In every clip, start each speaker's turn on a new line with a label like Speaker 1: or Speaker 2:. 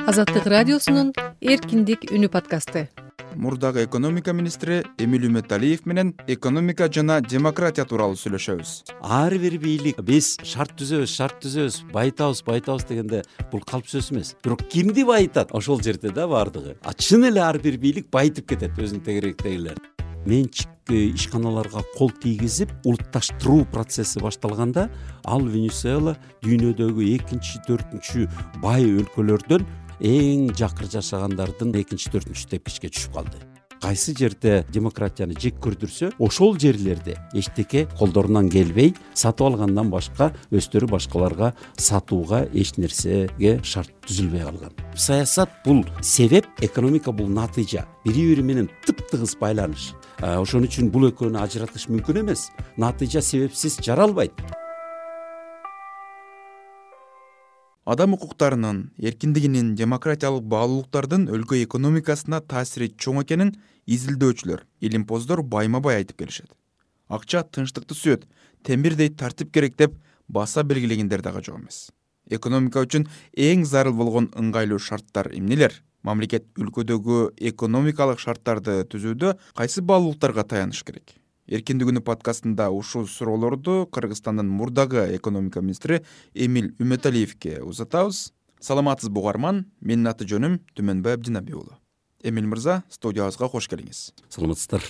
Speaker 1: Азаттык радиосунун эркиндик үнү подкасты.
Speaker 2: Мурдагы экономика министри Эмиль Үмөталиев менен экономика жана демократия тууралуу сүйлөшөбүз.
Speaker 3: Ар бир бийлик биз шарт түзөбүз, байтабыз дегенде бул калп сөз эмес. Бирок кимди байытат? Ошол жерде да бардыгы. Чын эле ар бир бийлик байытып кетет өзүнүн тегеректегилерин. Менчик ишканаларга кол тийгизип улутташтыруу процесси башталганда ал Венесуэла дүйнөдөгү экинчи, төртүнчү бай өлкөлөрдөн эң жакыр жашагандардын экинчи, төртүнчү тепкичке түшүп калды. Кайсы жерде демократияны жек көрдүрсө, ошол жерлерде эчтеке колдорунан келбей, сатып алгандан башка өздөрү башкаларга сатууга эч нерсеге шарт түзүлбөй калган. Саясат бул себеп, экономика бул натыйжа. Бири менен тыптыгыз байланыш. Ошон үчүн бул экөөнү ажыратыш мүмкүн эмес. Натыйжа себепсиз жаралбайт.
Speaker 2: Адам укуктарынын, эркиндигинин, демократиялык баалуулуктардын өлкө экономикасына таасири чоң экенин изилдөөчүлөр, илимпоздор байма-бай айтып келишет. Акча тынчтыкты сүйөт, темирдей тартип керек деп баса белгилегендер дагы жок эмес. Экономика үчүн эң зарыл болгон ыңгайлуу шарттар эмнелер? Мамлекет өлкөдөгү экономикалык шарттарды түзүүдө кайсы баалуулуктарга таяныш керек? Эркиндик үнү подкастында ушул суроолорду Кыргызстандын мурдагы экономика министри Эмиль Үмөталиевке узатабыз. Саламатсызбы угарман? Менин аты жөнүм Түмөнбай Абдинабий уулу. Эмиль мырза, студиябызга кош келиңиз.
Speaker 3: Саламатсыздар.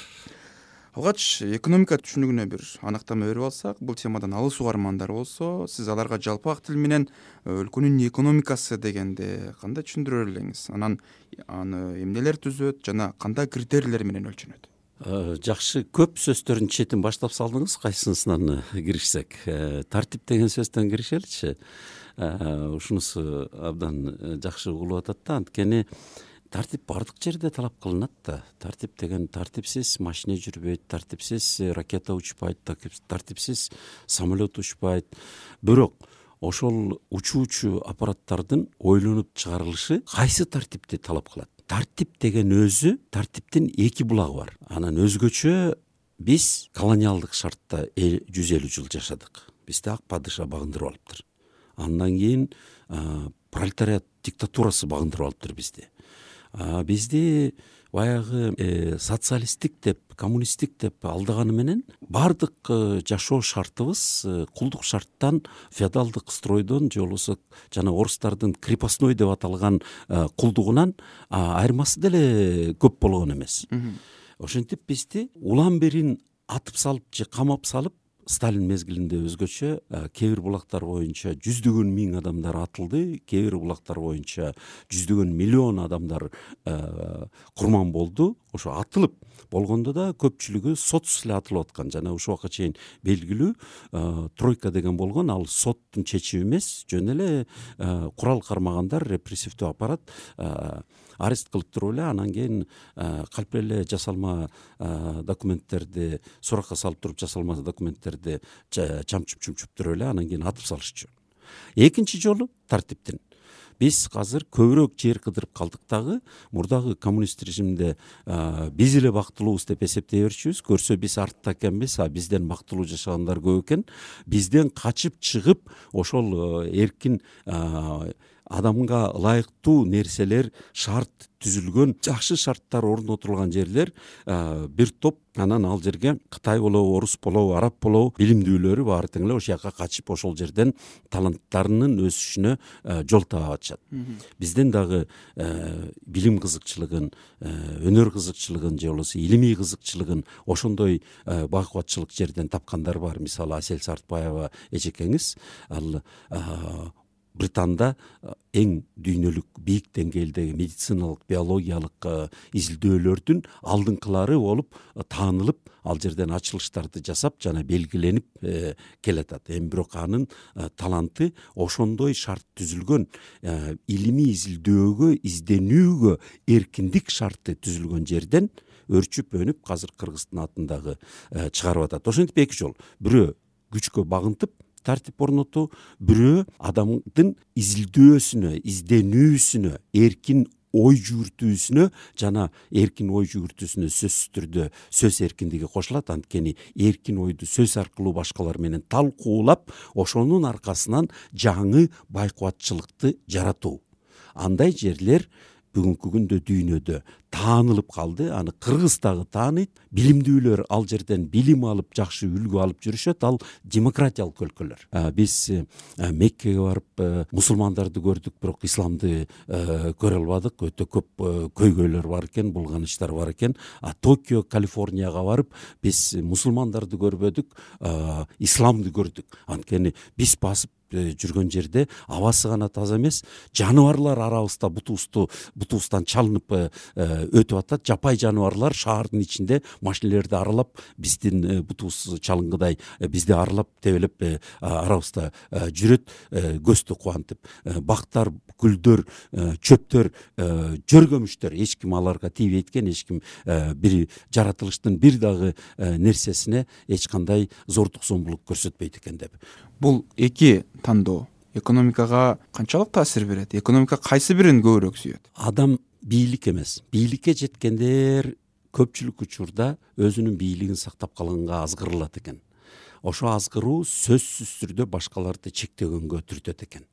Speaker 2: Алгач экономика түшүнүгүнө бир анактама берип алсак, бул темадан алыс угармандар болсо, сиз аларга жалпак тил менен өлкөнүн экономикасы дегенде кандай түшүндүрө элеңиз? Анан аны эмнелер түзөт жана кандай критерийлер менен өлчөнөт?
Speaker 3: Жакшы, көп сөздөрдүн четин баштап салдыңыз. Кайсысынан киришсек? Тартип деген сөздөн киришеличи. Ушунусу абдан жакшы угулуп атат да, анткени тартип бардык жерде талап кылынат да. Тартип деген тартипсиз машина жүрбөйт, тартипсиз ракета учпайт, тартипсиз самолет учпайт. Бирок ошол учуучу аппараттардын ойлонуп чыгарылышы кайсы тартипти талап кылат? Тартип деген өзү, тартиптин эки булагы бар. Анан өзгөчө биз колониалдык шартта 150 жыл жашадык. Бизди ак падыша багындырып алыптыр. Андан кийин пролетариат диктатурасы багындырып алыптыр бизди. Бизди баягы социалисттик деп, коммунисттик деп алдаганы менен бардык жашоо шартыбыз кулдук шарттан, феодалдык стройдон же болбосо жана орустардын крепостной деп аталган кулдугунан айырмасы деле көп болгон эмес. Ошентип бизди улам берин атып салып же камап салып, Сталин мезгилинде өзгөчө кээ бир булактар боюнча жүздөгөн миң адамдар атылды, кээ бир булактар боюнча жүздөгөн миллион адамдар курман болду. Ошо атылып болгондо да көпчүлүгү сотсуз эле атылып аткан. Жана ушул убакка чейин белгилүү тройка деген болгон, ал соттун чечими эмес, жөн эле курал кармагандар, репрессивдүү аппарат арест кылып туруп эле, анан кийин калп эле жасалма документтерди суракка салып туруп, жасалма документтерди чамчып туруп эле, анан кийин атып салышчу. Экинчи жолу тартиптин биз азыр көбүрөөк жер кыдырып калдык дагы. Мурдагы коммунист режимде биз эле бактылуубуз деп эсептей берчүбүз. Көрсө биз артта экенбиз, бизден бактылуу жашагандар көп экен. Бизден качып чыгып ошол эркин адамга ылайыктуу нерселер, шарт түзүлгөн, жакшы шарттар орнотулган жерлер бир топ. Анан ал жерге Кытай болобу, орус болобу, араб болобу билимдүүлөрү баары тең эле ошол жака качып ошол жерден таланттарынын өсүшүнө жол таап атышат. Бизден дагы билим кызыкчылыгын, өнөр кызыкчылыгын же болбосо илимий кызыкчылыгын ошондой байкубатчылык жерден тапкандар бар. Мисалы Асель Сартбаева эжекеңиз, ал Британда эң дүйнөлүк бийик деңгээлдеги медициналык, биологиялык изилдөөлөрдүн алдыңкылары болуп таанылып, ал жерден ачылыштарды жасап жана белгиленип келатат. Бирок анын таланты ошондой шарт түзүлгөн, илимий изилдөөгө, изденүүгө эркиндик шарты түзүлгөн жерден өрчүп өнүп, азыр Кыргыздын атындагы чыгарып атат. Ошентип эки жол. Бирөө күчкө багынтып тартип орнотуу, бирөө адамдын изилдөөсүнө, изденүүсүнө, эркин ой жүгүртүүсүнө жана эркин ой жүгүртүүсүнө сөзсүз түрдө сөз эркиндиги кошулат. Анткени эркин ойду сөз аркылуу башкалар менен талкуулап, ошонун аркасынан жаңы байкубатчылыкты жаратуу. андай жерлер бүгүнкү күндө дүйнөдө таанылып калды. Аны Кыргыз дагы тааныйт. Билимдүүлөр ал жерден билим алып, жакшы үлгү алып жүрүшөт. Ал демократиялык өлкөлөр. Биз Меккеге барып мусулмандарды көрдүк, бирок исламды көрө албадык. Өтө көп көйгөйлөр бар экен, булганыштар бар экен. Токио, Калифорнияга барып биз мусулмандарды көрбөдүк, исламды көрдүк. Анткени биз басып жүргөн жерде абасы гана таза эмес, жаныбарлар арабызда бутубуздан чалынып өтүп атат. Жапай жаныбарлар шаардын ичинде машинелерди аралап, биздин бутубуз чалынгыдай бизди аралап тебелеп арабызда жүрөт, көздү кубантып. Бактар, гүлдөр, чөптөр, жөргөмүштөр эч ким аларга тийбейт экен, эч ким бир жаратылыштын бир дагы нерсесине эч кандай зордук зомбулук көрсөтпөйт экен деп.
Speaker 2: Бул эки тандоо экономикага канчалык таасир берет? Экономика кайсы бирин көбүрөөк сүйөт?
Speaker 3: Адам бийлик эмес. Бийликке жеткендер көпчүлүк учурда өзүнүн бийлигин сактап калганга азгырылат экен. Ошо азгыруу сөзсүз түрдө башкаларды чектөгөнгө түртөт экен.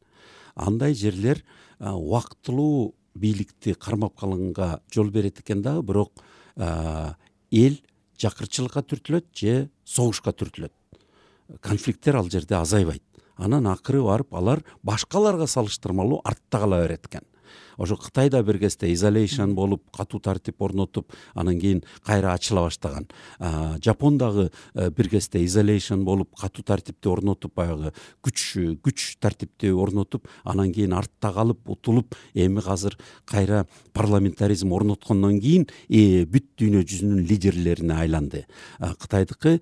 Speaker 3: Андай жерлер убактылуу бийликти кармап калганга жол берет экен дагы, бирок эл жакырчылыкка түртүлөт же согушка түртүлөт. Конфликттер ал жерде азайбайт. Анан акыры барып алар башкаларга салыштырмалуу артта кала берет экен. Ошо Кытайда бир кезде изолейшн болуп, катуу тартип орнотуп, анан кийин кайра ачыла баштаган. Жапондагы бир кезде изолейшн болуп, катуу тартипти орнотуп, баягы күч тартипти орнотуп, анан кийин артта калып, утулуп, эми азыр кайра парламентаризм орноткондон кийин бүт дүйнө жүзүнүн лидерлерине айланды. Кытайдыкы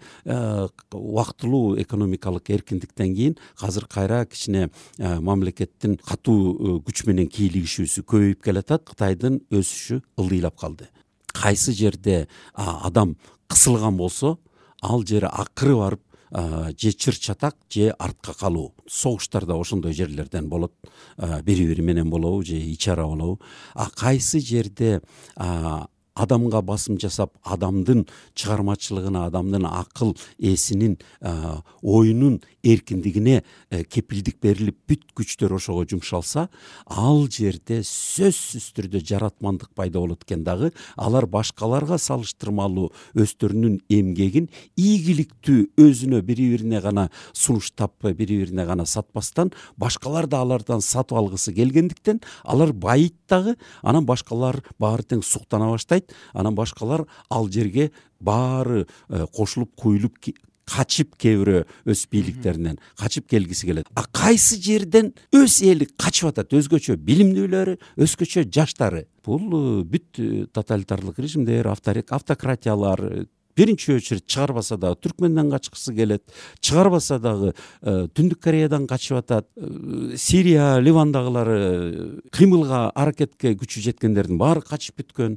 Speaker 3: убактылуу экономикалык эркиндиктен кийин азыр кайра кичине мамлекеттин катуу күч менен кийлигишүүсү көбөйүп келатат. Кытайдын өсүшү ылдыйлап калды. Кайсы жерде адам кысылган болсо, ал жери акыры барып же чыр чатак же артка калуу. Согуштар да ошондой жерлерден болот. Бири-бири менен болобу же ичара болобу. Кайсы жерде адамга басым жасап, адамдын чыгармачылыгына, адамдын акыл эсинин, оюнун эркиндигине кепилдик берилип, бүт күчтөр ошого жумшалса, ал жерде сөзсүз түрдө жаратмандык пайда болот экен дагы. Алар башкаларга салыштырмалуу өздөрүнүн эмгегин ийгиликтүү өзүнө бири-бирине гана сунуштап, бири-бирине гана сатпастан, башкалар да алардан сатып алгысы келгендиктен, алар байыйт дагы, анан башкалар баары тең суктана баштайт. Анан башкалар ал жерге баары кошулуп, куюлуп, качып, кээ бирөө өз бийликтеринен качып келгиси келет. Кайсы жерден өз эли качып атат, өзгөчө билимдүүлөрү, өзгөчө жаштары. Бул бүт тоталитарлык режимдер, автократиялар биринчи очередь чыгарбаса дагы Түркменден качкысы келет, чыгарбаса дагы Түндүк Кореядан качып атат, Сирия, Ливандагылар кыймылга, аракетке күчү жеткендердин баары качып бүткөн.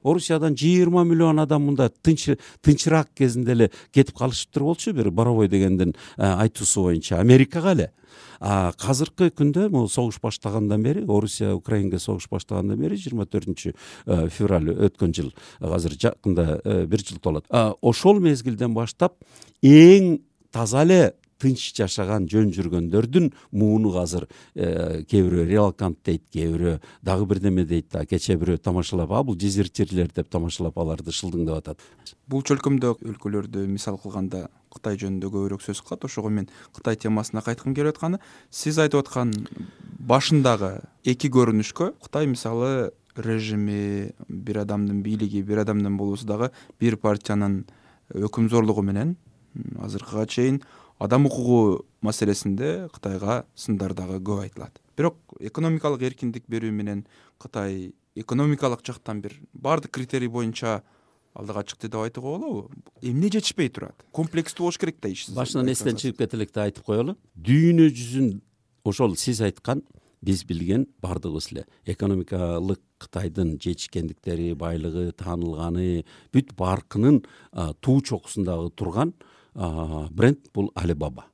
Speaker 3: Орусиядан 20 миллион адам мында тынчыраак кезинде эле кетип калышыптыр болчу, бир Боровой дегендин айтуусу боюнча Америкага эле. Казыркы күндө бул согуш баштагандан бери, Орусия Украинага согуш баштагандан бери 24 февраль өткөн жыл, азыр жакында 1 жыл толот. Ошол мезгилден баштап эң таза эле тынч жашаган, жөн жүргөндөрдүн мууну азыр кээ бирөө релакант дейт, кээ бирөө дагы бирдеме дейт. Кече бирөө тамашалап, бул дезертирлер деп тамашалап аларды шылдыңдап атат.
Speaker 2: Бул чөлкөмдө өлкөлөрдү мисал кылганда Кытай жөнүндө көбүрөөк сөз кылат. Ошого мен Кытай темасына кайткым келип атканы, сиз айтып аткан башындагы эки көрүнүшкө Кытай мисалы режими, бир адамдын бийлиги, бир адамдын болуусу дагы бир партиянын өкүмзорлугу менен азыркыга чейин адам укугу маселесинде Кытайга сындар дагы көп айтылат. Бирок экономикалык эркиндик берүү менен Кытай экономикалык жактан бир баардык критерий боюнча алдыга чыкты деп айтууга болобу? Эмне жетишпей турат? Комплекстүү болуш керек да иш.
Speaker 3: Башынан эстен чыгып кете электе айтып коелу. Дүйнө жүзүн ошол сиз айткан, биз билген баардыгыбыз эле экономикалык Кытайдын жетишкендиктери, байлыгы, таанылганы, бүт баркынын туу чокусундагы турган бренд бул Alibaba.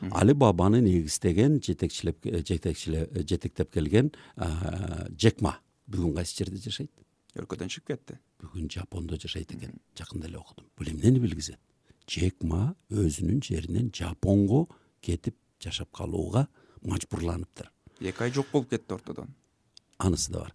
Speaker 3: Alibabаны негиздеген, жетектеп келген Джек Ма бүгүн кайсы жерде жашайт?
Speaker 2: Өлкөдөн чыгып кетти.
Speaker 3: Бүгүн Жапондо жашайт экен. Жакында эле окудум. Бул эмнени билгизет? Джек Ма өзүнүн жеринен Жапонго кетип жашап калууга мажбурланыптыр.
Speaker 2: 2 ай жок болуп кетти ортодон.
Speaker 3: анысы да бар.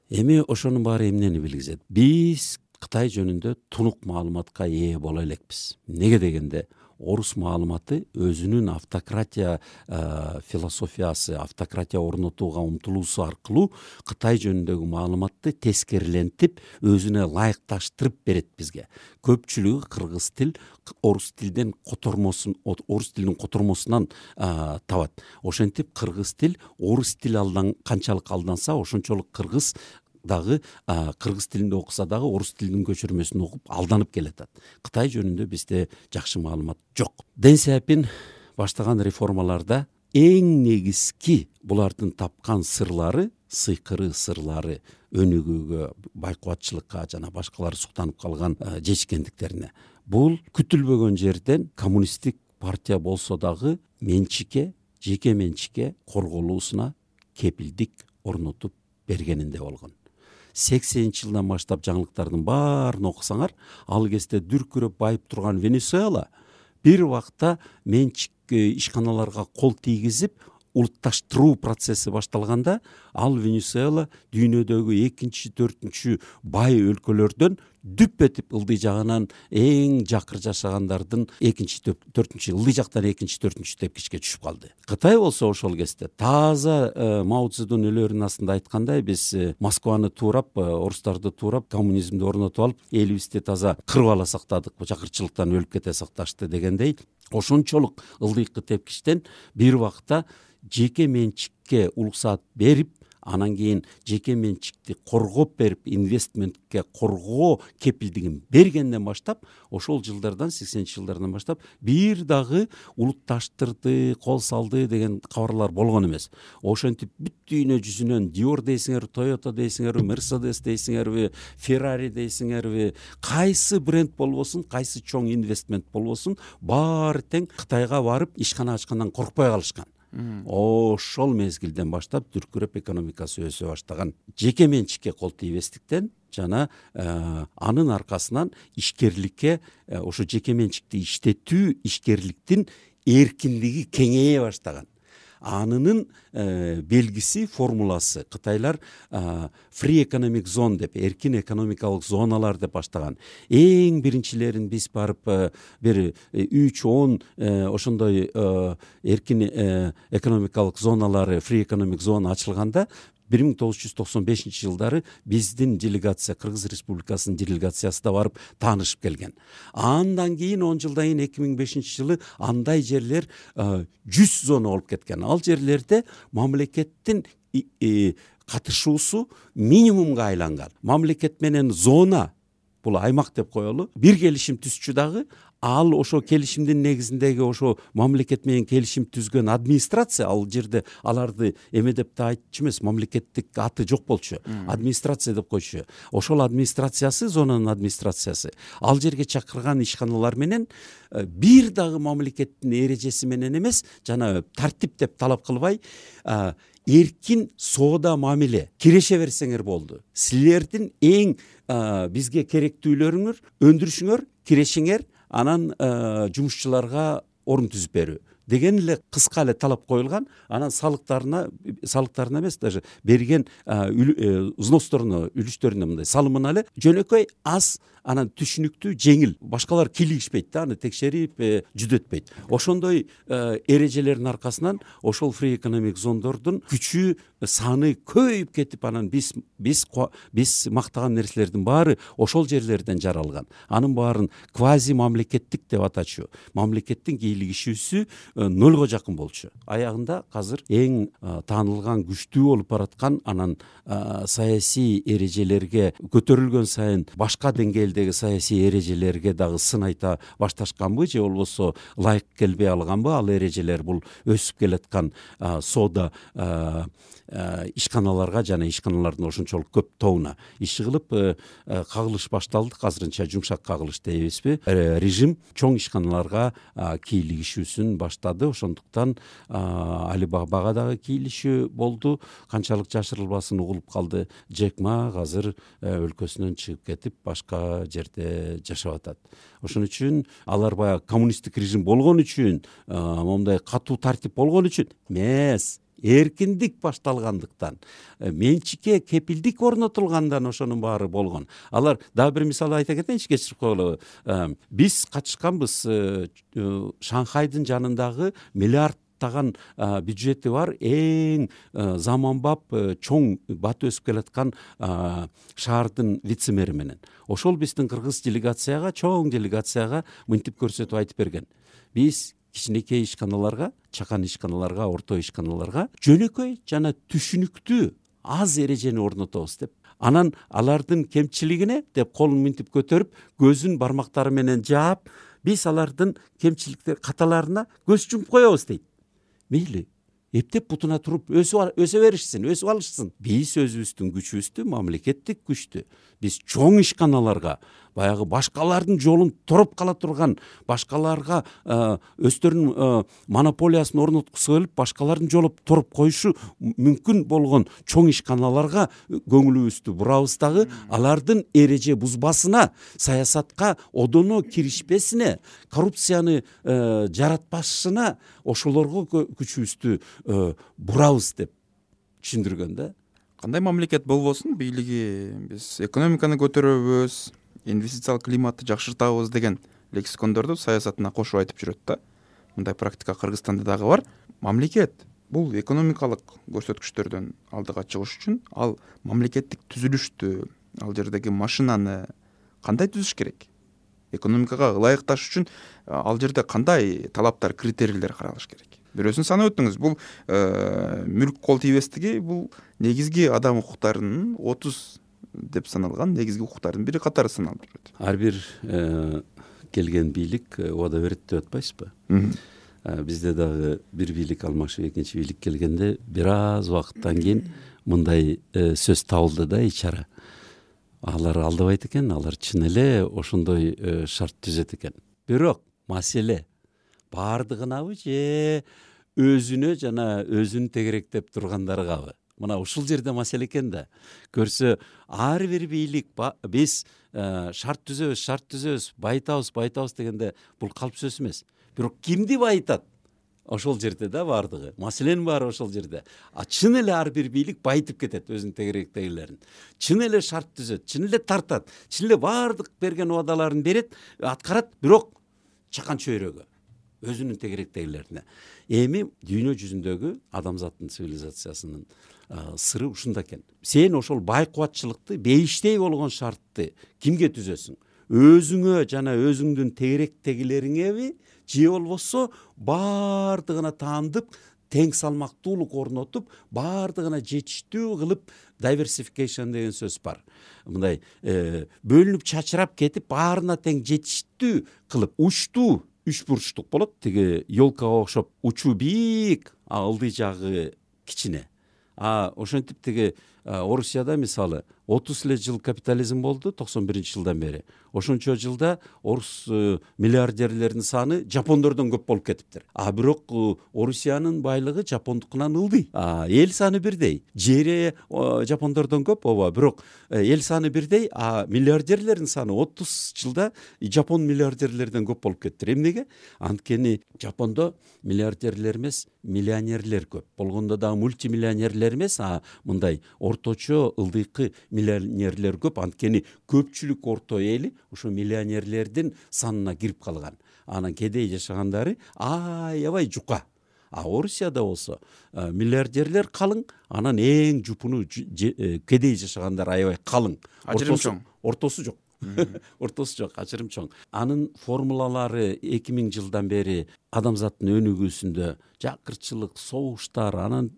Speaker 3: Эми ошонун баары эмнени билгизет? Биз Кытай жөнүндө тунук маалыматка ээ боло элекпиз. Неге дегенде, орус маалыматы өзүнүн автократия философиясы, автократия орнотууга умтулуусу аркылуу Кытай жөнүндөгү маалыматты тескерилентип, өзүнө ылайыкташтырып берет бизге. Көпчүлүгү кыргыз тил, орус тилдин котормосунан табат. Ошентип кыргыз тил, орус тил канчалык алданса, ошончолук кыргыз дагы кыргыз тилинде окуса дагы орус тилинин көчүрмөсүн окуп алданып келатат. Кытай жөнүндө бизде жакшы маалымат жок. Дэн Сяопин баштаган реформаларда эң негизги булардын тапкан сырлары, сыйкыры сырлары өнүгүүгө, байкубатчылыкка жана башкалар суктанып калган жетишкендиктерине. Бул күтүлбөгөн жерден коммунисттик партия болсо дагы жеке менчикке корголуусуна кепилдик орнотуп бергенинде болгон. 80-жылдан баштап жаңылыктардын баарын окусаңар, ал кезде дүркүрөп байып турган Венесуэла бир убакта менчик ишканаларга кол тийгизип, улутташтыруу процесси башталганда, ал Венесуэла дүйнөдөгү 2-4 бай өлкөлөрдөн дүп этип ылдый жагынан эң жакыр жашагандардын 2-4 ылдый жактан 2-4 тепкичке түшүп калды. Кытай болсо ошол кезде таза Мао Цзэдун өлөрүнүн астында айткандай, биз Москваны туурап, орустарды туурап, коммунизмди орнотуп алып, элибизди таза кырып ала сактадык, жакырчылыктан өлүп кете сакташты дегендей, ошончолук ылдыйкы тепкичтен бир убакта жеке менчикке уруксаат берип, анан кийин жеке менчикти коргоп берип, инвестментке коргоо кепилдигин бергенден баштап, ошол жылдардан, 80-жылдардан баштап бир дагы улутташтырды, кол салды деген кабарлар болгон эмес. Ошентип бүт дүйнө жүзүнөн Dior дейсиңерби, Toyota дейсиңерби, Mercedes дейсиңерби, Ferrari дейсиңерби, кайсы бренд болбосун, кайсы чоң инвестмент болбосун, баары тең Кытайга барып ишкана ачкандан коркпой калышкан. Ошол мезгилден баштап дүркүрөп экономикасы өсө баштаган. Жеке менчикке кол тийбестиктен жана анын аркасынан ишкерликке, ошо жеке менчикти иштетүү, ишкерликтин эркиндиги кеңейе баштаган. Анынын белгиси, формуласы Кытайлар free economic zone деп, эркин экономикалык зоналар деп баштаган. Эң биринчилерин биз барып бир 3-10 ошондой эркин экономикалык зоналары, free economic zone ачылганда 1995-жылдары биздин делегация, Кыргыз Республикасынын делегациясы да барып таанышып келген. Андан кийин 10 жылдан кийин 2005-жылы андай жерлер 100 зона болуп кеткен. Ал жерлерде мамлекеттин катышуусу минимумга айланган. Мамлекет менен зона, бул аймак деп коелу, бир келишим түзчү дагы, ал ошо келишимдин негизиндеги ошо мамлекет менен келишим түзгөн администрация, ал жерде аларды эме деп да айтчу эмес, мамлекеттик аты жок болчу, администрация деп койчу. Ошол администрациясы, зонанын администрациясы ал жерге чакырган ишканалар менен бир дагы мамлекеттин эрежеси менен эмес, жана тартип деп талап кылбай, эркин соода мамиле киреше берсеңер болду. Силердин эң бизге керектүүлөрүңөр, өндүрүшүңөр, кирешиңер, анан жумушчуларга орун түзүп берүү деген эле кыска эле талап коюлган. Анан салыктарына эмес, даже берген взносторуна, үлүштөрүнө мындай салымына эле жөнөкөй аз, анан түшүнүктүү, жеңил, башкалар кийлигишпейт да, аны текшерип жүдөтпөйт. Ошондой эрежелердин аркасынан ошол free economic зондордун күчү, саны көйүп кетип, анан биз мактаган нерселердин баары ошол жерлерден жаралган. Анын баарын квази мамлекеттик деп атачу. Мамлекеттин кийлигишүүсү нөлгө жакын болчу. Аягында азыр эң таанылган, күчтүү болуп бараткан, анан саясий эрежелерге көтөрүлгөн сайын башка деңгээлдеги саясий эрежелерге дагы сын айта башташканбы, же болбосо ылайык келбей алганбы ал эрежелер? Бул өсүп келаткан соода ишканаларга жана ишканалардын ошончолук көп тобуна иши кылып кагылыш башталды. Азырынча жумшак кагылыш дейбизби? Режим чоң ишканаларга кийлигишүүсүн баштады. Ошондуктан Алибабага дагы кийлишүү болду. Канчалык жашырылбасын угулуп калды. Джек Ма азыр өлкөсүнөн чыгып кетип, башка жерде жашап атат. Ошон үчүн алар баягы коммунисттик режим болгон үчүн, мондай катуу тартип болгон үчүн эмес, эркиндик башталгандыктан, менчикке кепилдик орнотулгандан ошонун баары болгон. Алар дагы бир мисал айта кетейинчи, кечирип койгула. Биз катышканбыз Шанхайдын жанындагы миллиардтаган бюджети бар эң заманбап чоң бат өсүп келаткан шаардын вице-мэри менен. Ошол биздин кыргыз делегацияга, чоң делегацияга мынтип көрсөтүп айтып берген. Биз кичинекей ишканаларга, чакан ишканаларга, орто ишканаларга жөнөкөй жана түшүнүктүү аз эрежени орнотобуз деп. Анан алардын кемчилигине деп колун мынтип көтөрүп, көзүн бармактары менен жаап, биз алардын кемчиликтер каталарына көз жумуп коебуз дейт. Мейли, эптеп бутуна туруп өсө беришсин, өсүп алышсын. Биз өзүбүздүн күчүбүздү, мамлекеттик күчтү биз чоң ишканаларга, баягы башкалардын жолун туруп кала турган, башкаларга өздөрүнүн монополиясын орноткусу келип, башкалардын жолу туруп коюшу мүмкүн болгон чоң ишканаларга көңүлүбүздү бурабыз дагы, алардын эреже бузбасына, саясатка одоно киришпесине, коррупцияны жаратпашына ошолорго күчүбүздү бурабыз деп түшүндүргөн да.
Speaker 2: Кандай мамлекет болбосун, бийлиги биз экономиканы көтөрөбүз, инвестициялык климатты жакшыртабыз деген лексикондорду саясатына кошуп айтып жүрөт да. Мындай практика Кыргызстанда дагы бар. Мамлекет бул экономикалык көрсөткүчтөрдөн алдыга чыгыш үчүн ал мамлекеттик түзүлүштү, ал жердеги машинаны кандай түзүш керек? Экономикага ылайыкташ үчүн ал жерде кандай талаптар, критерийлер каралыш керек? Бирөөсүн санап өттүңүз. Бул мүлк кол тийбестиги, бул негизги адам укуктарынын 30 деп саналган негизги укуктардын бири катары саналып жүрөт.
Speaker 3: Ар бир келген бийлик убада берет деп атпайсызбы? Бизде дагы бир бийлик алмашып, экинчи бийлик келгенде бир аз убакыттан кийин мындай сөз табылды да, ичара. Алар алдабайт экен, алар чын эле ошондой шарт түзөт экен. Бирок маселе бардыгынабы же өзүнө жана өзүн тегеректеп тургандаргабы? Мына ушул жерде маселе экен да. Көрсө, ар бир бийлик биз шарт түзөбүз, байтабыз дегенде бул калп сөз эмес. Бирок кимди байтат? Ошол жерде да бардыгы. Маселенин баары ошол жерде. Чын эле ар бир бийлик байтып кетет өзүнүн тегеректегилерин. Чын эле шарт түзөт, чын эле тартат, чын эле бардык берген убадаларын берет, аткарат, бирок чакан чөйрөгө өзүнүн тегеректегилерине. Эми дүйнө жүзүндөгү адамзаттын цивилизациясынын сыры ушунда экен. Сен ошол байкубатчылыкты, бейиштей болгон шартты кимге түзөсүң? Өзүңө жана өзүңдүн тегеректегилериңеби, же болбосо бардыгына таандык, тең салмактуулук орнотуп, бардыгына жетиштүү кылып, diversification деген сөз бар. Мындай бөлүнүп чачырап кетип, баарына тең жетиштүү кылып, учтуу үч бурчтук болот. Тиги елкага окшоп учу бийик, ылдый жагы кичине. Ошентип тиги Орусияда мисалы 30 эле жыл капитализм болду, 91-жылдан бери. Ошончо жылда орус миллиардерлердин саны жапондордон көп болуп кетиптир. Бирок Орусиянын байлыгы жапондукунан ылдый. Эл саны бирдей. Жери жапондордон көп, бирок эл саны бирдей, миллиардерлердин саны 30 жылда жапон миллиардерлерден көп болуп кеттир. Эмнеге? Анткени Жапондо миллиардерлер эмес, миллионерлер көп. Болгондо дагы мультимиллионерлер эмес, мындай орточо ылдыйкы миллионерлер көп. Анткени көпчүлүк орто эли ошо миллионерлердин санына кирип калган. Анан кедей жашагандары аябай жука. Орусияда болсо миллиардерлер калың, анан эң жупуну кедей жашагандар аябай калың.
Speaker 2: Ажырым чоң.
Speaker 3: Ортосу жок. Ортосу жок, ажырым чоң. Анын формулалары 2000 жылдан бери адамзаттын өнүгүүсүндө жакырчылык, согуштар, анан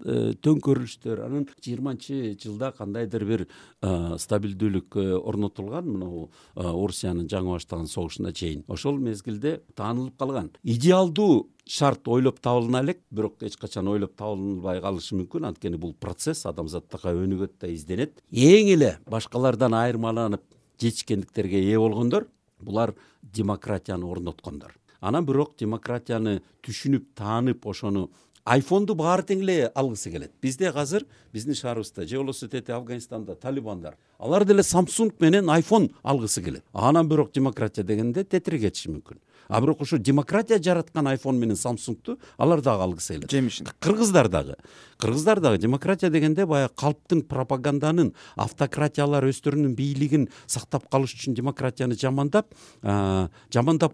Speaker 3: төңкөрүлүштөр, анан 20-жылда кандайдыр бир стабилдүүлүк орнотулган, мына Орусиянын жаңы баштаган согушуна чейин. Ошол мезгилде таанылып калган. Идеалдуу шарт ойлоп табылына элек, бирок эч качан ойлоп табылбай калышы мүмкүн. Анткени бул процесс адамзаттыкка өнүгөт да изденет. Эң эле башкалардан айырмаланып жетишкендиктерге ээ болгондор, булар демократияны орноткондор. Анан бирок демократияны түшүнүп, таанып, ошону айфонду баары тең эле алгысы келет. Бизде азыр биздин шаарыбызда, же болбосо тете Афганистанда талибандар, алар деле Samsung менен iPhone алгысы келет. Анан бирок демократия дегенде тетири кетиши мүмкүн. Бирок ошо демократия жараткан iPhone менен Samsungту алар дагы алгысы келет.
Speaker 2: Жемишин.
Speaker 3: Кыргыздар дагы. кыргыздар дагы демократия дегенде баягы калптын пропаганданын, автократиялар өздөрүнүн бийлигин сактап калыш үчүн демократияны жамандап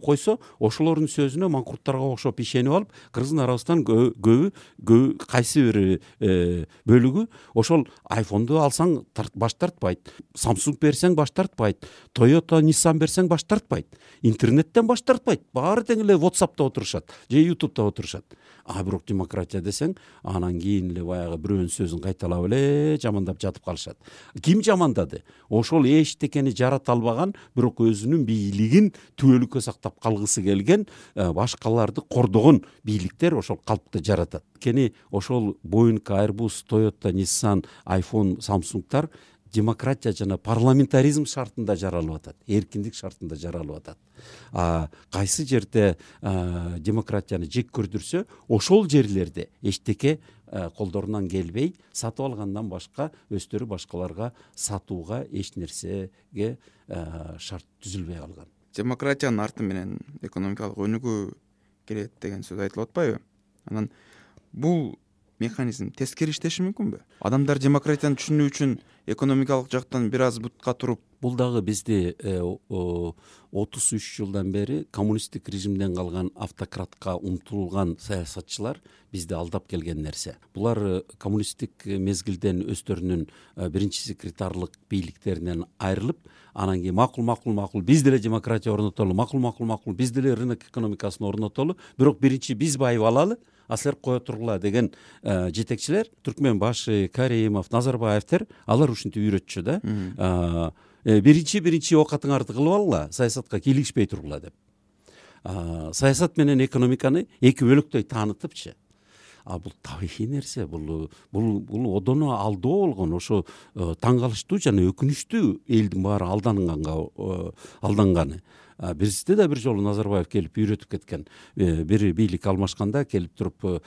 Speaker 3: койсо, ошолордун сөзүнө маңкурттарга окшоп ишенип алып, кыргыздын арабыздан көбү кайсы бир бөлүгү ошол айфонду алсаң баш тартпайт, Samsung берсең баш тартпайт, Toyota, Nissan берсең баш тартпайт, интернеттен баш тартпайт, баары тең эле WhatsApp'та отурушат же YouTube'да отурушат. Бирок демократия десең, анан кийин эле баягы бирөөнүн сөзүн кайталап эле жамандап жатып калышат. Ким жамандады? Ошол эчтекени жарата албаган, бирок өзүнүн бийлигин түбөлүккө сактап калгысы келген, башкаларды кордогон бийликтер ошол калпты жаратат. Кени ошол Boeing, Airbus, Toyota, Nissan, iPhone, Samsung'тар демократия жана парламентаризм шартында жаралып атат, эркиндик шартында жаралып атат. Кайсы жерде демократияны жек көрдүрсө, ошол жерлерде эчтеке колдорунан келбей, сатып алгандан башка өздөрү башкаларга сатууга эч нерсеге шарт түзүлбөй калган.
Speaker 2: Демократиянын арты менен экономикалык өнүгүү келет деген сөз айтылып атпайбы? Анан бул механизм тескери иштеши мүмкүнбү? Адамдар демократияны түшүнүү үчүн экономикалык жактан бир аз бутка туруп,
Speaker 3: Бул дагы бизди 33 жылдан бери коммунисттик режимден калган автократка умтулган саясатчылар бизди алдап келген нерсе. Булар коммунисттик мезгилден өздөрүнүн биринчи секретарлык бийликтеринен айрылып, анан кийин макул биз деле демократия орнотолу, макул биз деле рынок экономикасын орнотолу, бирок биринчи биз байып алалы, силер кое тургула деген жетекчилер, Түркмөнбашев, Каримов, Назарбаевтер, алар ушинтип үйрөтчү да. Биринчи оокатыңарды кылып алгыла, саясатка кийлигишпей тургула деп. Саясат менен экономиканы эки бөлөктөй таанытыпчы. Бул табигый нерсе, бул одоно алдоо болгон, ошо таң калыштуу жана өкүнүчтүү элдин баары алданганы. Бизде да бир жолу Назарбаев келип үйрөтүп кеткен. Бир бийлик алмашканда келип туруп,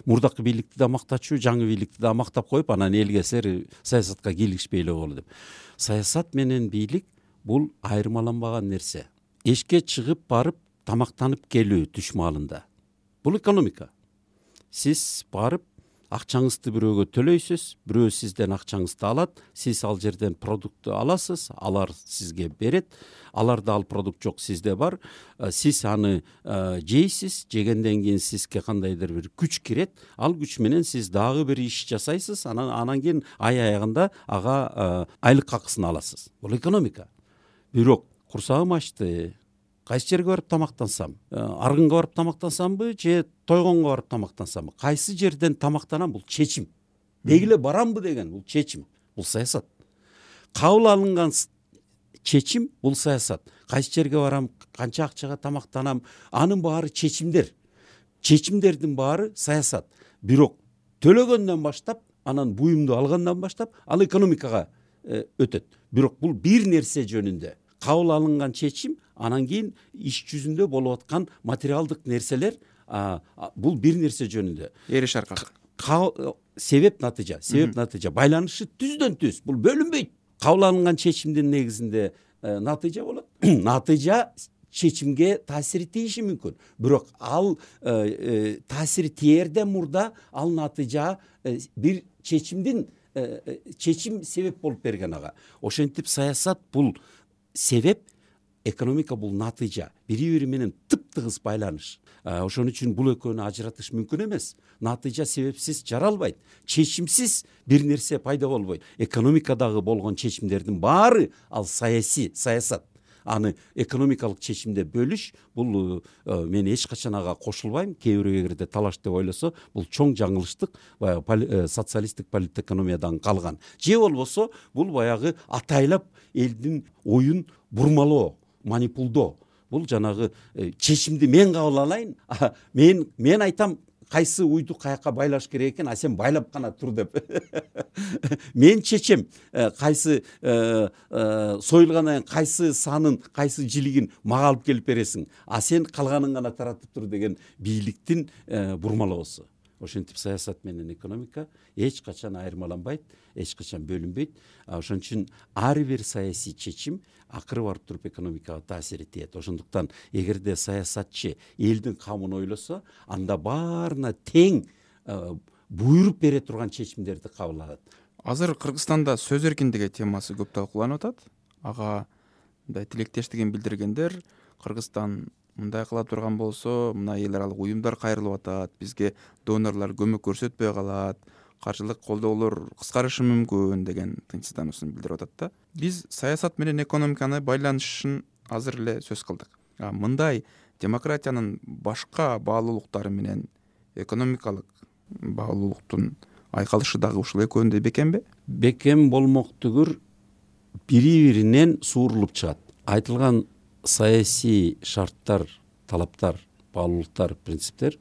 Speaker 3: мурдакы бийликти да мактачу, жаңы бийликти да мактап коюп, анан элге силер саясатка кийлигишпей эле болу деп. Саясат менен бийлик бул айырмаланбаган нерсе. Эшикке чыгып барып тамактанып келүү түш маалында. Бул экономика. Сиз барып акчаңызды бирөөгө төлөйсүз, бирөө сизден акчаңызды алат, сиз ал жерден продуктты аласыз, алар сизге берет, аларда ал продукт жок, сизде бар, сиз аны жейсиз, жегенден кийин сизге кандайдыр бир күч кирет, ал күч менен сиз дагы бир иш жасайсыз, анан кийин ай аягында ага айлык акысын аласыз. Бул экономика. Бирок курсагым ачты, кайсы жерге барып тамактансам, аргынга барып тамактансамбы же тойгонго барып тамактансамбы, кайсы жерден тамактанам, бул чечим. Дегиле барамбы деген бул чечим, бул саясат. Кабыл алынган чечим бул саясат. Кайсы жерге барам, канча акчага тамактанам, анын баары чечимдер. Чечимдердин баары саясат. Бирок төлөгөндөн баштап, анан буюмду алгандан баштап, ал экономикага өтөт. Бирок бул бир нерсе жөнүндө кабыл алынган чечим, анан кийин иш жүзүндө болуп аткан материалдык нерселер, бул бир нерсе жөнүндө.
Speaker 2: Эриш аркасы.
Speaker 3: Себеп натыйжа байланышы түздөн түз. Бул бөлүнбөйт. Кабыл алынган чечимдин негизинде натыйжа болот. Натыйжа чечимге таасир тийиши мүмкүн. Бирок ал таасир тиерден мурда ал натыйжа бир чечим себеп болуп берген ага. Ошентип саясат бул себеп, экономика бул натыйжа. Бири-бири менен тып-тыгыз байланыш. Ошон үчүн бул экөөнү ажыратыш мүмкүн эмес. Натыйжа себепсиз жаралбайт. Чечимсиз бир нерсе пайда болбойт. Экономикадагы болгон чечимдердин баары ал саясат. Аны экономикалык чечимде бөлүш, бул мен эч качан ага кошулбайм. Кээ бирөө эгерде талаш деп ойлосо, бул чоң жаңылыштык, баягы социалисттик политэкономиядан калган. Же болбосо, бул баягы атайлап элдин оюн бурмалоо, манипулдоо. Бул жанагы чечимди мен кабыл алайын, мен айтам кайсы уйду каяка байлаш керек экен, сен байлап гана тур деп. Мен чечем кайсы союлгандан кийин кайсы санын, кайсы жилигин мага алып келип бересиң, сен калганын гана таратып тур деген бийликтин бурмалоосу. Ошентип саясат менен экономика эч качан айырмаланбайт, эч качан бөлүнбөйт. Ошон үчүн ар бир саясий чечим акыры барып туруп экономикага таасир этет. Ошондуктан эгерде саясатчы элдин камын ойлосо, анда баарына тең буйруп бере турган чечимдерди кабыл алат.
Speaker 2: Азыр Кыргызстанда сөз эркиндиги темасы көп талкууланып атат. Ага мындай тилектештигин билдиргендер, Кыргызстан мындай кыла турган болсо, мына эл аралык уюмдар кайрылып атат, бизге донорлор көмөк көрсөтпөй калат, каржылык колдоолор кыскарышы мүмкүн деген тынчсыздануусун билдирип атат да. Биз саясат менен экономиканы байланышын азыр эле сөз кылдык. Мындай демократиянын башка баалуулуктары менен экономикалык баалуулуктун айкалышы дагы ушул экөөндөй бекемби?
Speaker 3: Бекем болмок түгүр бири биринен суурулуп чыгат. Айтылган саясий шарттар, талаптар, баалуулуктар, принциптер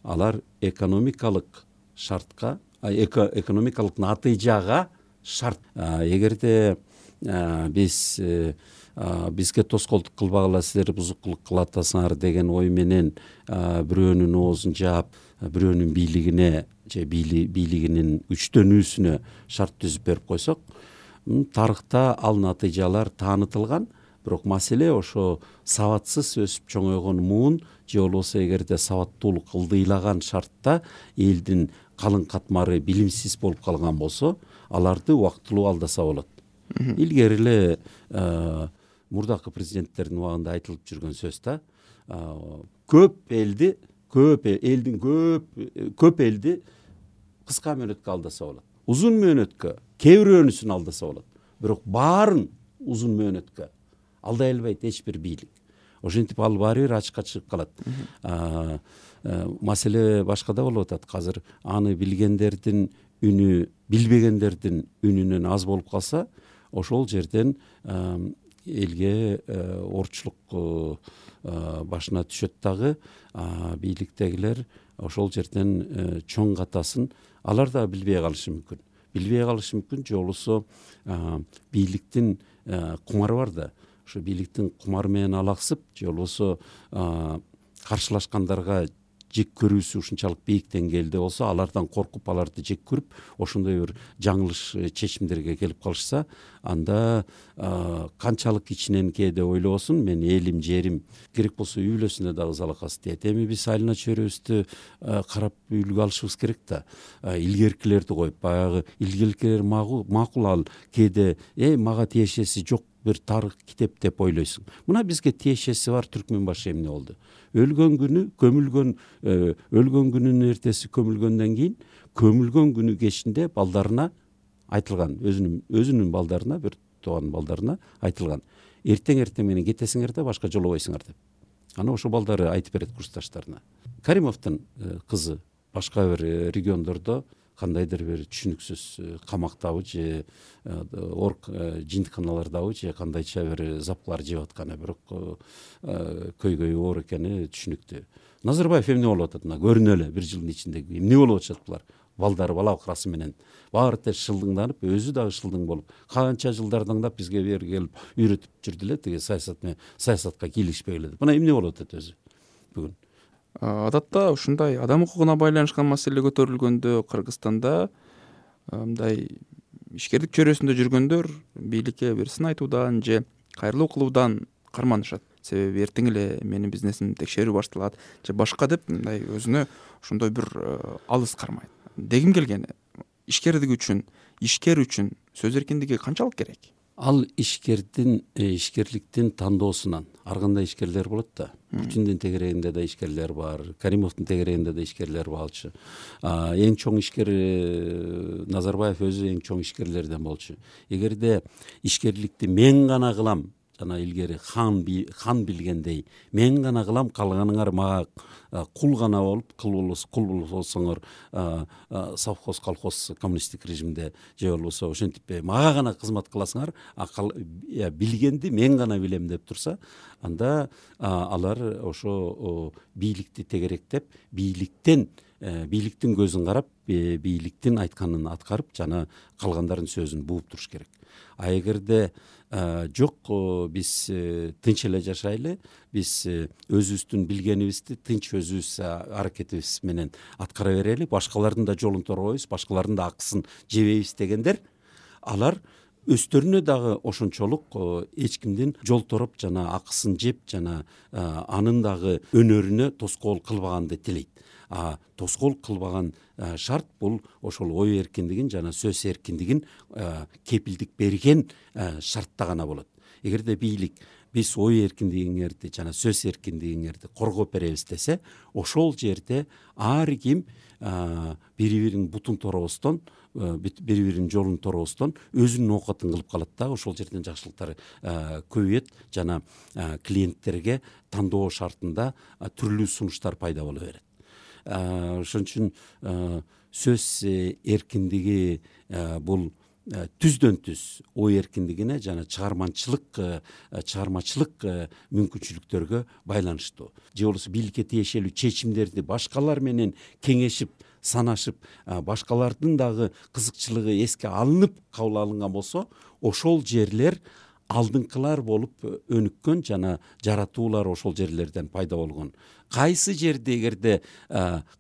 Speaker 3: алар экономикалык шартка, экономикалык натыйжага шарт. Эгерде биз бизге тоскоолдук кылбагыла, силер бузукулук кылып атасыңар деген ой менен бирөөнүн оозун жаап, бирөөнүн бийлигине же бийлигинин күчтөнүүсүнө шарт түзүп берип койсок, тарыхта ал натыйжалар таанытылган. Бирок маселе ошо сабатсыз өсүп чоңойгон муун же болбосо эгерде сабаттуулук ылдыйлаган шартта элдин калың катмары билимсиз болуп калган болсо, аларды убактылуу алдаса болот. Илгери эле мурдакы президенттердин убагында айтылып жүргөн сөз да, көп элди кыска мөөнөткө алдаса болот. Узун мөөнөткө кээ бирөөнүсүн алдаса болот. Бирок баарын узун мөөнөткө алдай албайт эч бир бийлик. Ошентип ал баары бир ачыкка чыгып калат. Маселе башкада болуп атат. Азыр аны билгендердин үнү билбегендердин үнүнөн аз болуп калса, ошол жерден элге орчулук башына түшөт дагы. Бийликтегилер ошол жерден чоң катасын алар да билбей калышы мүмкүн. Же болбосо бийликтин кумары бар да. Ошо бийликтин кумары менен алаксып, же болбосо каршылашкандарга жек көрүүсү ушунчалык бийик деңгээлде болсо, алардан коркуп, аларды жек көрүп, ошондой бир жаңылыш чечимдерге келип калышса, анда канчалык ичинен кээде ойлобосун, мен элим, жерим, керек болсо үй бүлөсүнө дагы залакасы тиет. Эми биз айылына чөйрөбүздү карап үлгү алышыбыз керек да. Илгеркилерди коюп, баягы илгеркилер макул, ал кээде мага тиешеси жок бир тарых китеп деп ойлойсуң. Мына бизге тиешеси бар Түркмөнбашы эмне болду? Өлгөн күнүнүн эртеси көмүлгөндөн кийин, көмүлгөн күнү кечинде балдарына айтылган, өзүнүн балдарына, бир тууган балдарына айтылган. Эртең менен кетесиңер да башка жолобойсуңар деп. Аны ошо балдары айтып берет курсташтарына. Каримовдун кызы башка бир региондордо кандайдыр бир түшүнүксүз камактабы же жинтиканалардабы же кандайча бир запкалар жеп атканы, бирок көйгөйү оор экени түшүнүктүү. Назарбаев эмне болуп атат? Көрүнө эле бир жылдын ичинде эмне болуп атышат булар? Балдары бала бакырасы менен баары теж шылдыңданып, өзү дагы шылдың болуп, канча жылдар даңдап бизге бери келип үйрөтүп жүрдү эле, тиги саясатка кийлигишпей эле. Мына эмне болуп атат өзү бүгүн?
Speaker 2: Адатта ушундай адам укугуна байланышкан маселе көтөрүлгөндө Кыргызстанда мындай ишкердик чөйрөсүндө жүргөндөр бийликке бир сын айтуудан же кайрылуу кылуудан карманышат. Себеби эртең эле менин бизнесимди текшерүү башталат же башка деп мындай өзүнө ошондой бир алыс кармайт. Дегим келгени, ишкер үчүн сөз эркиндиги канчалык керек?
Speaker 3: Ал ишкерликтин тандоосунан ар кандай ишкерлер болот да. Путиндин тегерегинде да ишкерлер бар, Каримовдун тегерегинде да ишкерлер болчу. Эң чоң ишкер Назарбаев өзү эң чоң ишкерлерден болчу. Эгерде ишкерликти мен гана кылам, жана илгери хан билгендей, мен гана кылам, калганыңар мага кул гана болуп, кул болсоңор совхоз, колхоз, коммунисттик режимде же болбосо ошентип мага гана кызмат кыласыңар, билгенди мен гана билем деп турса, анда алар ошо бийликти тегеректеп, бийликтин көзүн карап, бийликтин айтканын аткарып, жана калгандардын сөзүн бууп туруш керек. А эгерде жок, биз тынч эле жашайлы, биз өзүбүздүн билгенибизди тынч өзүбүз аракетибиз менен аткара берели, башкалардын да жолун торбойбуз, башкалардын да акысын жебейбиз дегендер, алар өздөрүнө дагы ошончолук эч кимдин жол тороп жана акысын жеп жана анын дагы өнөрүнө тоскоол кылбаганды тилейт. тоскоол кылбаган шарт бул ошол ой эркиндигин жана сөз эркиндигин кепилдик берген шартта гана болот. Эгерде бийлик биз ой эркиндигиңерди жана сөз эркиндигиңерди коргоп беребиз десе, ошол жерде ар ким бири биринин бутун торобостон, бири биринин жолун торобостон өзүнүн оокатын кылып калат да, ошол жерден жакшылыктар көбөйөт жана клиенттерге тандоо шартында түрлүү сунуштар пайда боло берет. Ошон үчүн сөз эркиндиги бул түздөн түз ой эркиндигине жана чыгармачылык мүмкүнчүлүктөргө байланыштуу. Же болбосо бийликке тиешелүү чечимдерди башкалар менен кеңешип, санашып, башкалардын дагы кызыкчылыгы эске алынып кабыл алынган болсо, ошол жерлер алдыңкылар болуп өнүккөн жана жаратуулар ошол жерлерден пайда болгон. Кайсы жерде эгерде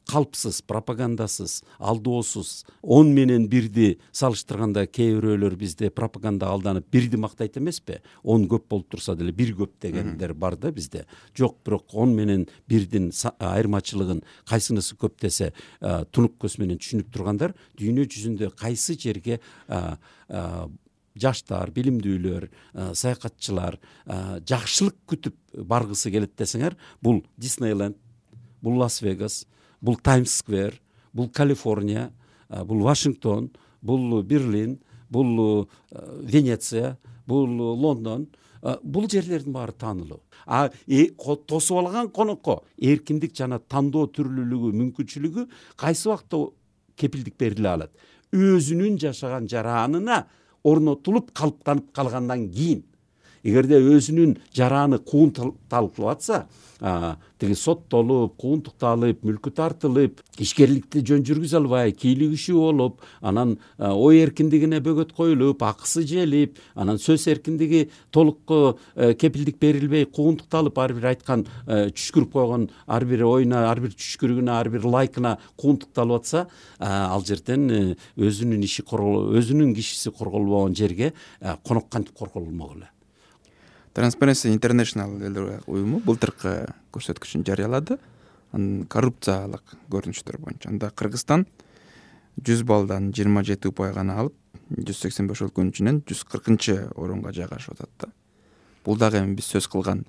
Speaker 3: калпсыз, пропагандасыз, алдоосуз 10 менен 1 салыштырганда кээ бирөөлөр бизде пропаганда алданып 1 мактайт эмеспи? 10 көп болуп турса деле 1 көп дегендер бар да бизде. Жок, бирок 10 менен 1 айырмачылыгын кайсынысы көп десе тунук көз менен түшүнүп тургандар дүйнө жүзүндө кайсы жерге жаштар, билимдүүлөр, саякатчылар жакшылык күтүп баргысы келет десеңер, бул Диснейленд, бул Лас-Вегас, бул Таймс-сквер, бул Калифорния, бул Вашингтон, бул Берлин, бул Венеция, бул Лондон. Бул жерлердин баары таанылуу. Тосуп алган конокко эркиндик жана тандоо түрлүүлүгү, мүмкүнчүлүгү кайсы убакта кепилдик бериле алат? Өзүнүн жашаган жаранына орнотулуп калыптанып калгандан кийин. Эгерде өзүнүн жараны кууntалып атса, тиги соттолуп, кууntукталып, мүлкү тартылып, ишкерликти жөн жүргүзө албай, кийлигишүү болуп, анан ой эркиндигине бөгөт коюлуп, акысы желип, анан сөз эркиндиги толук кепилдик берилбей, кууntукталып, ар бир айткан түшкүрүп койгон ар бир оюна, ар бир түшкүрүгүнө, ар бир лайкына кууntукталып атса, ал жерден өзүнүн иши өзүнүн кишиси корголбогон жерге конок кантип корголмок эле?
Speaker 2: Transparency International уюму былтыркы көрсөткүчүн жарыялады. Коррупциялык көрүнүштөр боюнча. Анда Кыргызстан 100 баллдан 27 упай гана алып, 185 өлкөнүн ичинен 140 орунга жайгашып атат да. Бул дагы эми биз сөз кылган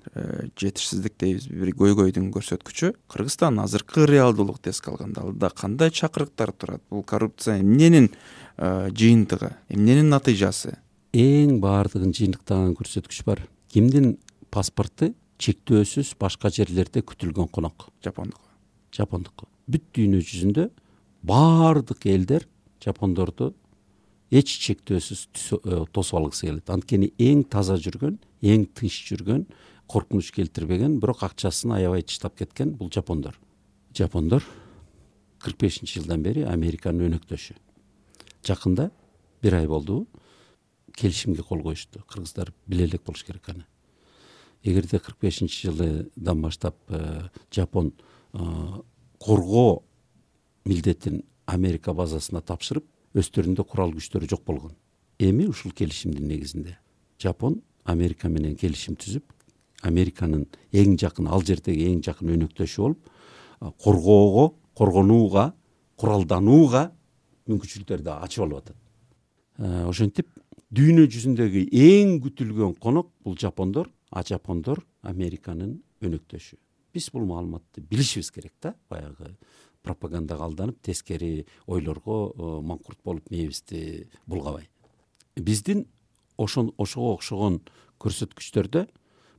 Speaker 2: жетишсиздик дейбиз, бир көйгөйдүн көрсөткүчү. Кыргызстан азыркы реалдуулукту эске алганда алда кандай чакырыктар турат? Бул коррупция эмненин жыйынтыгы, эмненин натыйжасы?
Speaker 3: Эң баардыгын жыйынтыктаган көрсөткүч бар. Кимдин паспорту чектөөсүз башка жерлерде күтүлгөн конок? Жапондук. Бүт дүйнө жүзүндө баардык элдер жапондорду эч чектөөсүз тосуп алгысы келет. Анткени эң таза жүргөн, эң тынч жүргөн, коркунуч келтирбеген, бирок акчасын аябай таштап кеткен бул жапондор. Жапондор 45-жылдан бери Американын өнөктөшү. Жакында 1 ай болду келишимге кол коюшту. Кыргыздар биле элек болуш керек аны. Эгерде 45-жылдан баштап Жапон коргоо милдетин Америка базасына тапшырып, өстөрүндө курал күчтөрү жок болгон. Эми ушул келишимдин негизинде Жапон Америка менен келишим түзүп, Американын эң жакын, ал жердеги эң жакын өнөктөшү болуп, коргоого, коргонууга, куралданууга мүмкүнчүлүктөрдү ачып алып атат. Ошентип дүйнө жүзүндөгү эң күтүлгөн конок бул жапондор, жапондор Американын өнөктөшү. Биз бул маалыматты билишибиз керек да, баягы пропагандага алданып, тескери ойлорго маңкурт болуп мээбизди булгабай. Биздин ошого окшогон көрсөткүчтөрдө,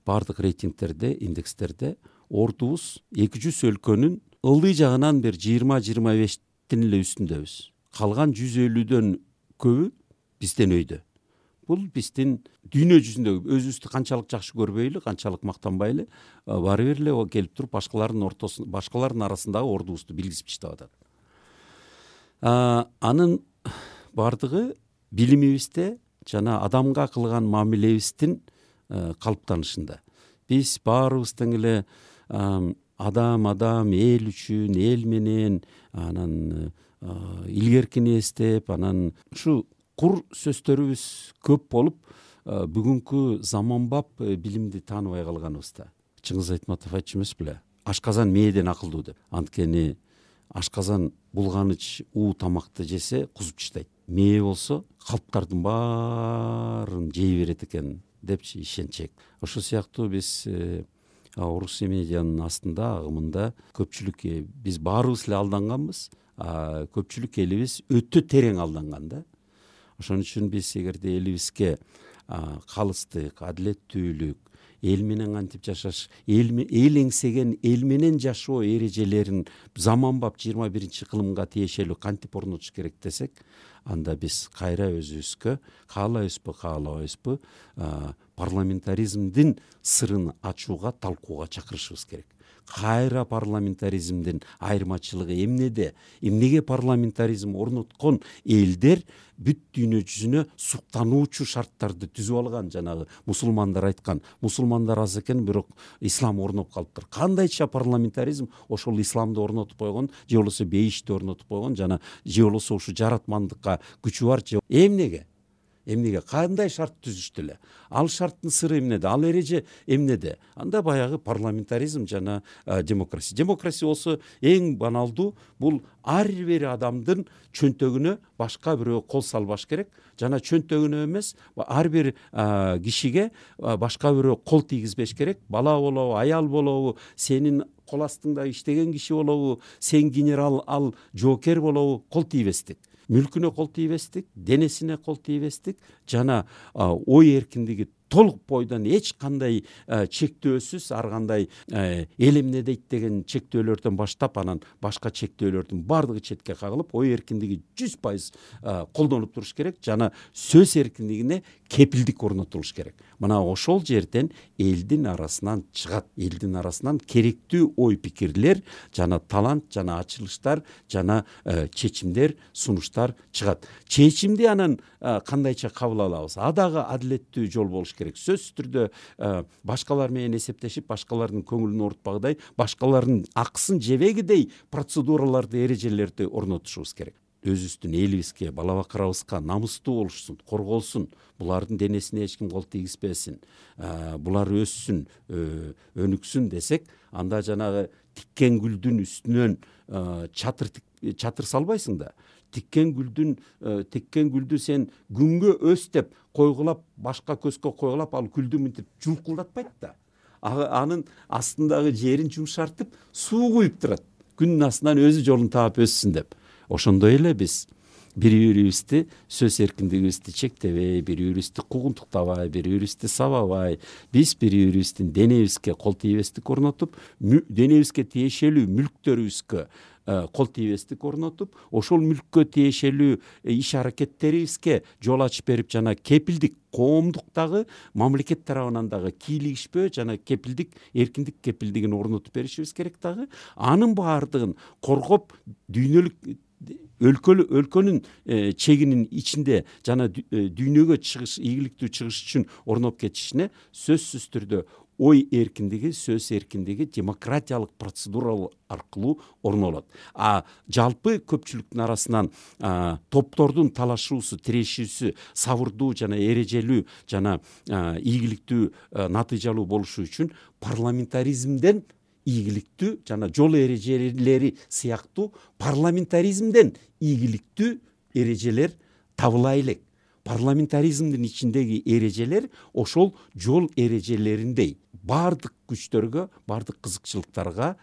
Speaker 3: бардык рейтингтерде, индекстерде ордубуз 200 өлкөнүн ылдый жагынан бир 20-25-тин эле үстүндөбүз. Калган 150дөн көбү бизден өйдө. Бул биздин дүйнө жүзүндөгү өзүбүздү канчалык жакшы көрбөйлү, канчалык мактанбайлы, баары бир эле келип туруп башкалардын арасындагы ордубузду билгизип таштап атат. Анын бардыгы билимибизде жана адамга кылган мамилебиздин калыптанышында. Биз баарыбыз тең эле адам, эл үчүн, эл менен, анан илгеркини эстеп, анан ушу кур сөздөрүбүз көп болуп, бүгүнкү заманбап билимди тааныбай калганыбызда. Чыңгыз Айтматов айтчу эмес беле? Ашказан мээден акылдуу деп. Анткени ашказан булганыч тамакты жесе кузуп таштайт. Мээ болсо калптардын баарын жей берет экен депчи ишенчек. Ошол сыяктуу биз орус медианын астында агымында көпчүлүк биз баарыбыз эле алданганбыз, көпчүлүк элибиз өтө терең алданган да. Ошон үчүн биз эгерде элибизге калыстык, адилеттүүлүк, эл менен кантип жашаш, эл эңсеген эл менен жашоо эрежелерин заманбап 21-кылымга тиешелүү кантип орнотуш керек десек, анда биз кайра өзүбүзгө каалайбызбы парламентаризмдин сырын ачууга, талкууга чакырышыбыз керек. Кайра парламентаризмдин айырмачылыгы эмнеде? Эмнеге парламентаризм орноткон элдер бүт дүйнө жүзүнө суктануучу шарттарды түзүп алган, жанагы мусулмандар айткан, мусулмандар аз экен, бирок ислам орноп калыптыр. Кандайча парламентаризм ошол исламды орнотуп койгон, же болбосо бейишти орнотуп койгон, жана же болбосо ушу жаратмандыкка күчү бар, же эмнеге кандай шарт түзүштү эле? Ал шарттын сыры эмнеде? Ал эреже эмнеде? Анда баягы парламентаризм жана демократия. Демократия болсо эң баналдуу, бул ар бир адамдын чөнтөгүнө башка бирөө кол салбаш керек, жана чөнтөгүнө эмес, ар бир кишиге башка бирөө кол тийгизбеш керек. Бала болобу, аял болобу, сенин кол астыңда иштеген киши болобу, сен генерал, ал жоокер болобу, кол тийбестик. Мүлкүнө кол тийбестик, денесине кол тийбестик, жана ой эркиндиги толук бойдон эч кандай чектөөсүз, ар кандай эл эмне дейт деген чектөөлөрдөн баштап, анан башка чектөөлөрдүн баардыгы четке кагылып, ой эркиндиги 100% колдонуп туруш керек, жана сөз эркиндигине кепилдик орнотулуш керек. Мына ошол жерден элдин арасынан чыгат, элдин арасынан керектүү ой пикирлер, жана талант, жана ачылыштар, жана чечимдер, сунуштар чыгат. Чечимди анан кандайча кабыл алабыз? Дагы адилеттүү жол болуш керек. Сөзсүз түрдө башкалар менен эсептешип, башкалардын көңүлүн оорутпагыдай, башкалардын акысын жебегидей процедураларды, эрежелерди орнотушубуз керек. Өзүбүздүн элибизге, бала бакырабызга намыстуу болушсун, корголсун, булардын денесине эч ким кол тийгизбесин, булар өссүн, өнүксүн десек, анда жанагы тиккен гүлдүн үстүнөн чатыр салбайсың да. Тиккен гүлдү сен күнгө өс деп койгулап, башка көзгө койгулап, ал гүлдү мынтип жулкулдатпайт да. Анын астындагы жерин жумшартып, суу куюп турат. Күнүн астынан өзү жолун таап өссүн деп. Ошондой эле биз бири-бирибизди сөз эркиндигибизди чектебей, бири-бирибизди куугунтуктабай, бири-бирибизди сабабай, биз бири-бирибиздин денебизге кол тийбестик орнотуп, денебизге тиешелүү мүлктөрүбүзгө кол тийбестик орнотуп, ошол мүлккө тиешелүү иш аракеттерибизге жол ачып берип, жана кепилдик, коомдуктагы мамлекет тарабынан дагы кийлигишпөө жана кепилдик, эркиндик кепилдигин орнотуп беришибиз керек дагы. Анын баардыгын коргоп, дүйнөлүк өлкөнүн чегинин ичинде жана дүйнөгө чыгыш, ийгиликтүү чыгыш үчүн орноп кетишине сөзсүз түрдө ой эркиндиги, сөз эркиндиги демократиялык процедура аркылуу орнолот. Жалпы көпчүлүктүн арасынан топтордун талашуусу, тирешүүсү сабырдуу жана эрежелүү жана ийгиликтүү, натыйжалуу болушу үчүн парламентаризмден ийгиликтүү жана жол эрежелери сыяктуу парламентаризмден ийгиликтүү эрежелер табыла элек. Парламентаризмдин ичиндеги эрежелер ошол жол эрежелериндей баардык күчтөргө, баардык кызыкчылыктарга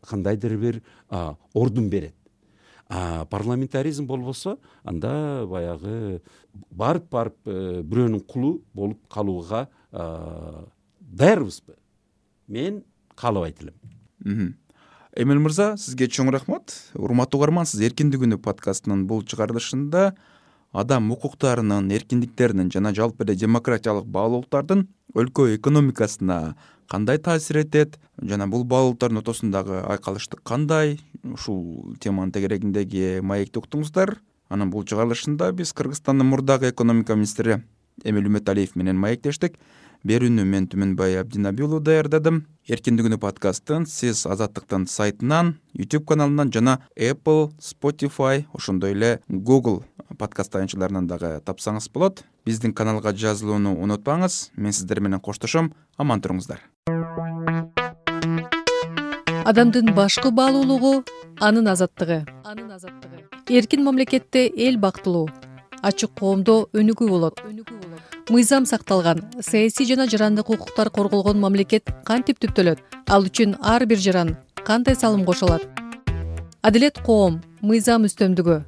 Speaker 3: кандайдыр бир ордун берет. Парламентаризм болбосо, анда баягы барып бирөөнүн кулу болуп калууга даярбызбы? Мен каалабайт элем.
Speaker 2: Эмил мырза, сизге чоң рахмат. Урматтуу угарман, сиз Эркиндик күнү подкастынын бул чыгарылышында адам укуктарынын, эркиндиктеринин жана жалпы эле демократиялык баалуулуктардын өлкө экономикасына кандай таасир этет жана бул баалуулуктардын ортосундагы айкалыштык кандай, ушул теманын тегерегиндеги маекти уктуңуздар. Анан бул чыгарылышында биз Кыргызстандын мурдагы экономика министри Эмил Үмөталиев менен маектештик. Берүүнү мен Түмөнбай Абдинаби уулу даярдадым. Эркиндик күнү подкастын сиз Азаттыктын сайтынан, YouTube каналынан жана Apple, Spotify, ошондой эле Google подкаст таянычыларынан дагы тапсаңыз болот. Биздин каналга жазылууну унутпаңыз. Мен сиздер менен коштошом. Аман туруңуздар.
Speaker 1: Адамдын башкы баалуулугу анын азаттыгы. Эркин мамлекетте эл бактылуу, ачык коомдо өнүгүү болот. Мыйзам сакталган, саясий жана жарандык укуктар корголгон мамлекет кантип түптөлөт? Ал үчүн ар бир жаран кандай салым кошулат? Адилет коом, мыйзам үстөмдүгү,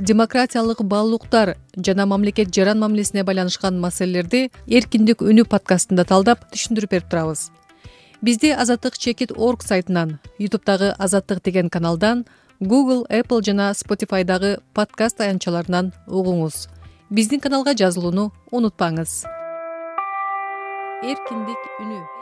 Speaker 1: демократиялык баалуулуктар жана мамлекет жаран мамилесине байланышкан маселелерди Эркиндик үнү подкастында талдап түшүндүрүп берип турабыз. Бизди azattik.org сайтынан, YouTube'дагы Азаттык деген каналдан, Google, Apple жана Spotify'дагы подкаст аянтчаларынан угуңуз. Биздин каналга жазылууну унутпаңыз. Эркиндик үнү.